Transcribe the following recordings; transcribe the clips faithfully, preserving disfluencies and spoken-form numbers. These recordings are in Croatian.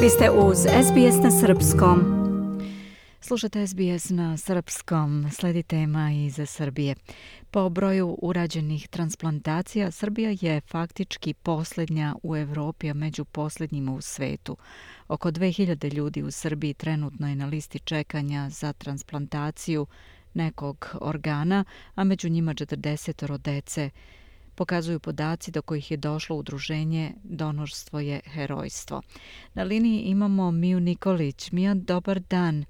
Vi ste uz S B S na srpskom. Slušate S B S na srpskom. Sledi tema iz Srbije. Po broju urađenih transplantacija, Srbija je faktički posljednja u Evropi, a među posljednjima u svetu. Oko dve hiljade ljudi u Srbiji trenutno je na listi čekanja za transplantaciju nekog organa, a među njima četrdeset dece. Pokazuju podaci do kojih je došlo udruženje Donorstvo je herojstvo. Na liniji imamo Miju Nikolić. Mija, dobar dan.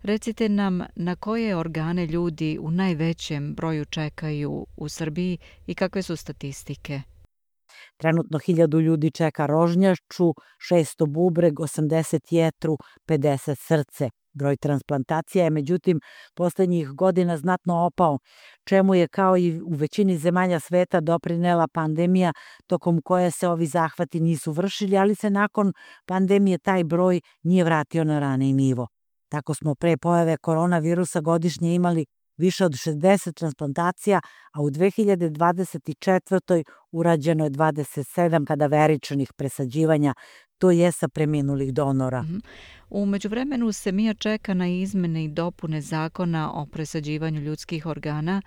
Recite nam na koje organe ljudi u najvećem broju čekaju u Srbiji i kakve su statistike? Trenutno hiljadu ljudi čeka rožnjaču, šesto bubreg, osamdeset jetru, pedeset srce. Broj transplantacija je međutim posljednjih godina znatno opao, čemu je kao i u većini zemalja sveta doprinela pandemija tokom koje se ovi zahvati nisu vršili, ali se nakon pandemije taj broj nije vratio na raniji nivo. Tako smo pre pojave koronavirusa godišnje imali više od šezdeset transplantacija, a u dve hiljade dvadeset četvrtoj urađeno je dvadeset sedam kadaveričnih presađivanja, to je sa preminulih donora. Mm-hmm. U međuvremenu se Mija čeka na izmene i dopune zakona o presađivanju ljudskih organa,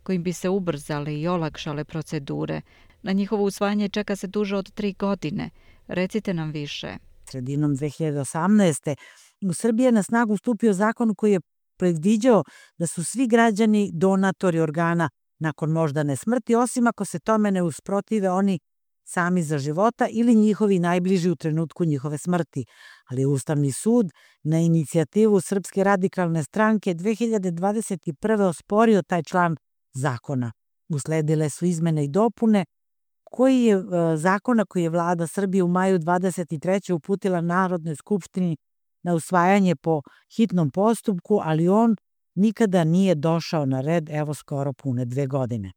kojim bi se ubrzale i olakšale procedure. Na njihovo usvajanje čeka se duže od tri godine. Recite nam više. Sredinom dve hiljade osamnaeste. u Srbiji je na snagu stupio zakon koji je predviđao da su svi građani donatori organa nakon moždane smrti, osim ako se tome ne usprotive oni sami za života ili njihovi najbliži u trenutku njihove smrti. Ali Ustavni sud na inicijativu Srpske radikalne stranke dve hiljade dvadeset prve. osporio taj član zakona. Usledile su izmene i dopune koji je zakona koji je vlada Srbije u maju dvadeset treće. uputila Narodnoj skupštini na usvajanje po hitnom postupku, ali on nikada nije došao na red, evo skoro pune dve godine.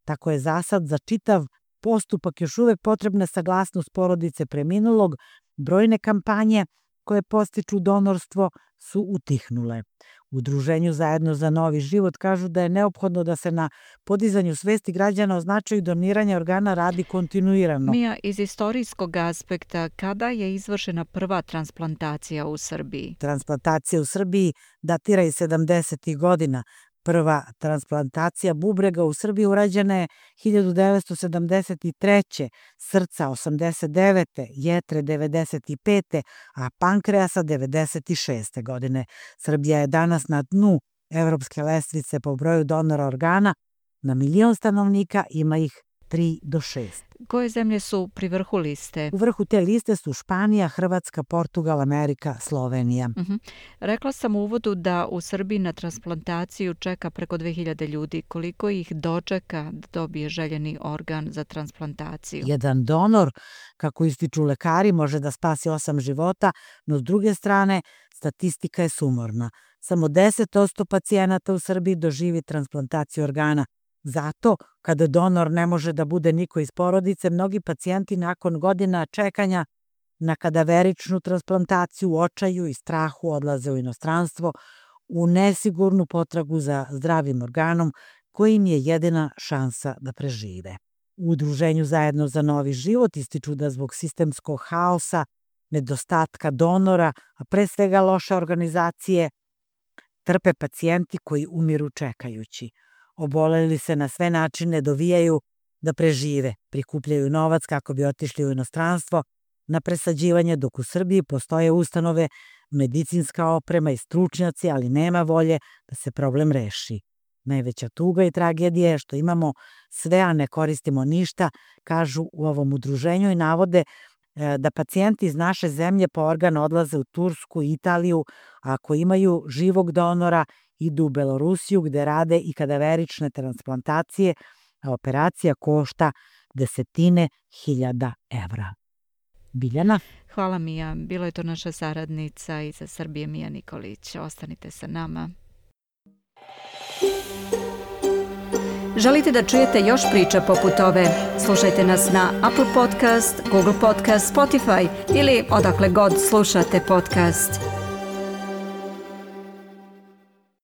Tako je zasad za čitav postupak još uvek potrebna saglasnost porodice preminulog. Brojne kampanje koje postiču donorstvo su utihnule. U Udruženju Zajedno za novi život kažu da je neophodno da se na podizanju svesti građana o značaju doniranja organa radi kontinuirano. Mija, iz istorijskog aspekta, kada je izvršena prva transplantacija u Srbiji? Transplantacija u Srbiji datira iz sedamdesetih godina. Prva transplantacija bubrega u Srbiji urađena je hiljadu devetsto sedamdeset treće. srca osamdeset devete. jetre devedeset pete. a pankreasa devedeset šeste. godine. Srbija je danas na dnu evropske lestvice po broju donora organa. Na milion stanovnika ima ih tri do šest. Koje zemlje su pri vrhu liste? U vrhu te liste su Španija, Hrvatska, Portugal, Amerika, Slovenija. Uh-huh. Rekla sam u uvodu da u Srbiji na transplantaciju čeka preko dve hiljade ljudi. Koliko ih dočeka da dobije željeni organ za transplantaciju? Jedan donor, kako ističu lekari, može da spasi osam života, no s druge strane statistika je sumorna. Samo deset posto pacijenata u Srbiji doživi transplantaciju organa. Zato, kada donor ne može da bude niko iz porodice, mnogi pacijenti nakon godina čekanja na kadaveričnu transplantaciju u očaju i strahu odlaze u inostranstvo u nesigurnu potragu za zdravim organom koji im je jedina šansa da prežive. U Udruženju Zajedno za novi život ističu da zbog sistemskog haosa, nedostatka donora, a pre svega loše organizacije, trpe pacijenti koji umiru čekajući. Oboleli se na sve načine dovijaju da prežive, prikupljaju novac kako bi otišli u inostranstvo na presađivanje, dok u Srbiji postoje ustanove, medicinska oprema i stručnjaci, ali nema volje da se problem reši. Najveća tuga i tragedija je što imamo sve, a ne koristimo ništa, kažu u ovom udruženju i navode da pacijenti iz naše zemlje po organ odlaze u Tursku i Italiju, a ako imaju živog donora, idu u Belorusiju gde rade i kadaverične transplantacije, a operacija košta desetine hiljada evra. Biljana? Hvala Mija. Bilo je to naša saradnica iz Srbije Mija Nikolić. Ostanite sa nama. Želite da čujete još priča poput ove? Slušajte nas na Apple Podcast, Google Podcast, Spotify ili odakle god slušate podcast.